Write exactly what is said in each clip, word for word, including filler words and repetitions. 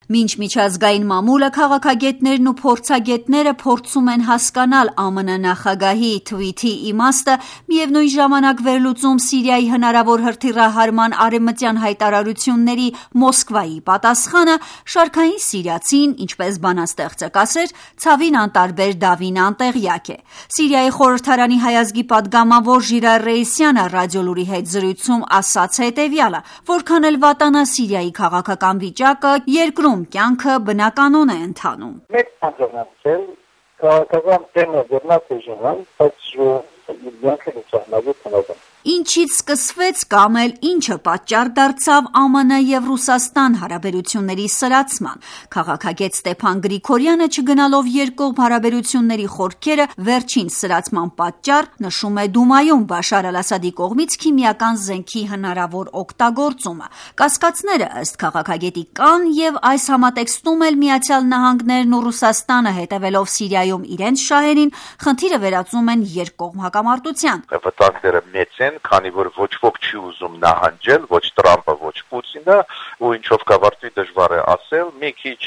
Մինչ միջազգային մամուլը քաղաքագետներն ու փորձագետները փորձում են հասկանալ Ամն նախագահի թվիթի իմաստը, միևնույն ժամանակ վերլուծում Սիրիայի հնարավոր հրթիռահարման արևմտյան հայտարարությունների Մոսկվայի պատասխանը, շարքային սիրիացին, ինչպես բանաստեղծը կասեր, ցավին անտարբեր դավին անտեղյակ է։ Սիրիայի խորհրդարանի հայազգի падգամավոր Ժիրայր Ռեյսյանը ռադիոլուրի հետ զրույցում ասաց հետևյալը. որքան էլ վատանա Սիրիայի քաղաքական վիճակը, երկրում կյանքը բնականon է ընթանում։ Մեծ հանձնարարել քաղաքական տեմը դեռնած է ժանան, բայց յանքը լուսանալու տնական։ Ինչից սկսվեց կամ էլ ինչը պատճառ դարձավ ԱՄՆ և Ռուսաստան հարաբերությունների սրացման։ Քաղաքագետ Ստեփան Գրիգորյանը, չգնալով երկկողմ հարաբերությունների խորքերը, վերջին սրացման պատճառ նշում է Դումայում Բաշար Ալ-Ասադի կողմից քիմիական զենքի հնարավոր օգտագործումը։ Կասկածները ըստ քաղաքագետի կան և այս համատեքստում էլ Միացյալ Նահանգներն ու Ռուսաստանը, հետևելով Սիրիայում իրենց շահերին, խնդիրը վերածում են երկկողմ հակամարտության։ Վտանգները մեծ են, քանի որ ոչ ոք չի ուզում նահանջել, ոչ Տրամպը, ոչ Պուտինը, ու ինչով կավարտվի դժվար է ասել, մի քիչ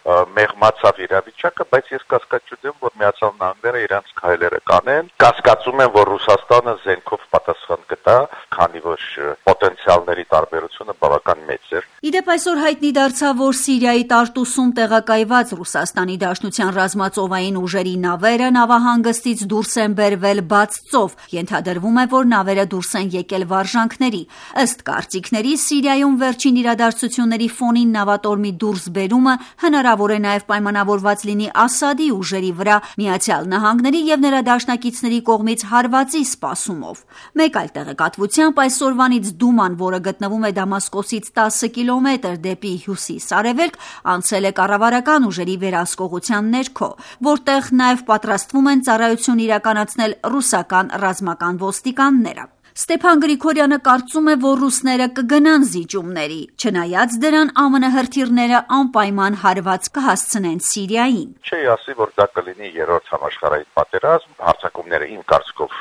մեղմացավ իրավիճակը, բայց ես կասկած չունեմ, որ Միացյալ Նահանգները իրենց քայլերը կանեն։ Կասկածում եմ, որ Ռուսաստանը զենքով պատասխան կտա, քանի որ պոտենցիալների տարբերությունը բավական մեծ է։ Իդեպ այսօր հայտնի դարձավ, որ Սիրիայի Տարտուսում տեղակայված Ռուսաստանի Դաշնության ռազմածովային ուժերի նավերը նավահանգստից դուրս են բերվել բաց ծով։ Ենթադրվում է, որ նավերը դուրս են եկել վարժանքների։ Ըստ կարծիքների, Սիրիայում վերջին իրադարձությունների ֆոնին նավատորմի դուրսբերումը հնարավոր է նաև պայմանավորված լինի Ասադի ուժերի վրա Միացյալ Նահանգների և նրա դաշնակիցների կողմից հարվածի սպասումով։ Մեկ այլ տեղեկատվությամբ այսօրվանից Դուման, որը գտնվում է Դամասկոսից տասը կիլոմետր դեպի հյուսիս-արևելք, անցել է կառավարական ուժերի վերահսկողության ներքո, որտեղ նաև պատրաստվում են ծառայություն իրականացնել ռուսական ռազմական ոստիկանները։ Ստեփան Գրիգորյանը կարծում է, որ ռուսները կգնան զիջումների, չնայած դրան ԱՄՆ հրթիռները անպայման հարված կհասցնեն Սիրիային։ Չի ասի, որ դա կլինի երրորդ համաշխարհային պատերազմ, հարձակումները իմ կարծիքով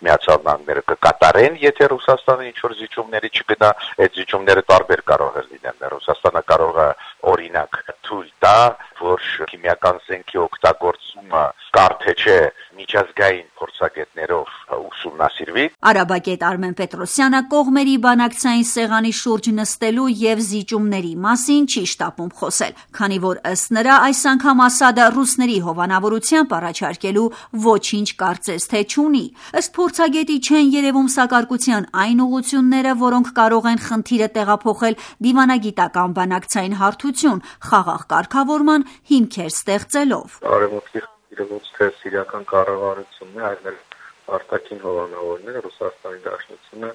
Միացյալ Նահանգները կկատարեն, եթե Ռուսաստանը ինչ-որ զիջումների չգնա, այդ զիջումները տարբեր կարող է լինել։ Ռուսաստանը կարող է օրինակ թույլ տա, որ քիմիական զենքի օգտագործումը կարթե չէ միջազգային փորձագետներով ուսումնասիրվի։ Արաբագետ Արմեն Պետրոսյանը կողմերի բանակցային սեղանի շուրջ նստելու և զիջումների մասին չի շտապում խոսել, քանի որ ըստ նրա այս անգամ Ասադը ռուսների հովանավորությամբ առաջարկելու ոչինչ կարծես թե չունի։ Ըստ փորձագետի չեն երևում սակարկության այն ուղղությունները, որոնք կարող են խնդիրը տեղափոխել դիվանագիտական բանակցային հարթություն, խաղաղ կարգավորման հիմքեր ստեղծելով։ Արևմուտքի խնդիրը ոչ թե սիրիական կառավարությունն է, այլ արտաքին հովանավորները, Ռուսաստանի Դաշնությունը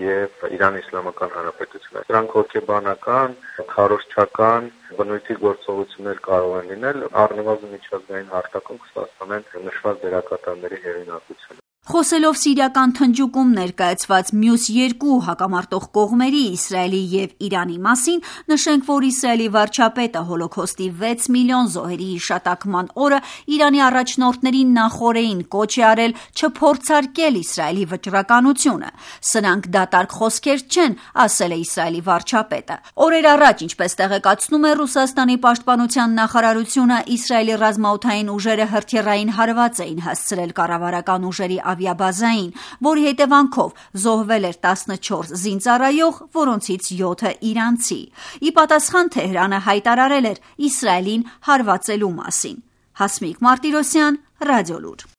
և Իրանի Իսլամական Հանրապետությունը։ Դրանք հոգեբանական, քարոզչական բնույթի գործողություններ կարող են լինել, առնվազն միջազգային հարթակում կստացվեն նշված դերակատարների հեղինակությունը։ Խոսելով սիրիական թնջուկում ներկայացված մյուս երկու հակամարտող կողմերի՝ Իսրայելի և Իրանի մասին, նշենք, որ Իսրայելի վարչապետը Հոլոքոստի վեց միլիոն զոհերի հիշատակման օրը Իրանի առաջնորդներին նախօրեին կոչ է արել չփորձարկել Իսրայելի վճռականությունը։ Սրանք դատարկ խոսքեր չեն, ասել է Իսրայելի վարչապետը։ Օրեր առաջ, ինչպես տեղեկացնում է Ռուսաստանի պաշտպանության նախարարությունը, Իսրայելի ռազմաօդային ուժերը հրթիռային հարված էին հասցրել կառավարական ուժերի ավիաբազային, որի հետևանքով զոհվել էր տասնչորս զինծառայող, որոնցից յոթը իրանցի։ Ի պատասխան Թեհրանը հայտարարել էր Իսրայելին հարվածելու մասին։ Հասմիկ Մարտիրոսյան, Ռադիոլուր։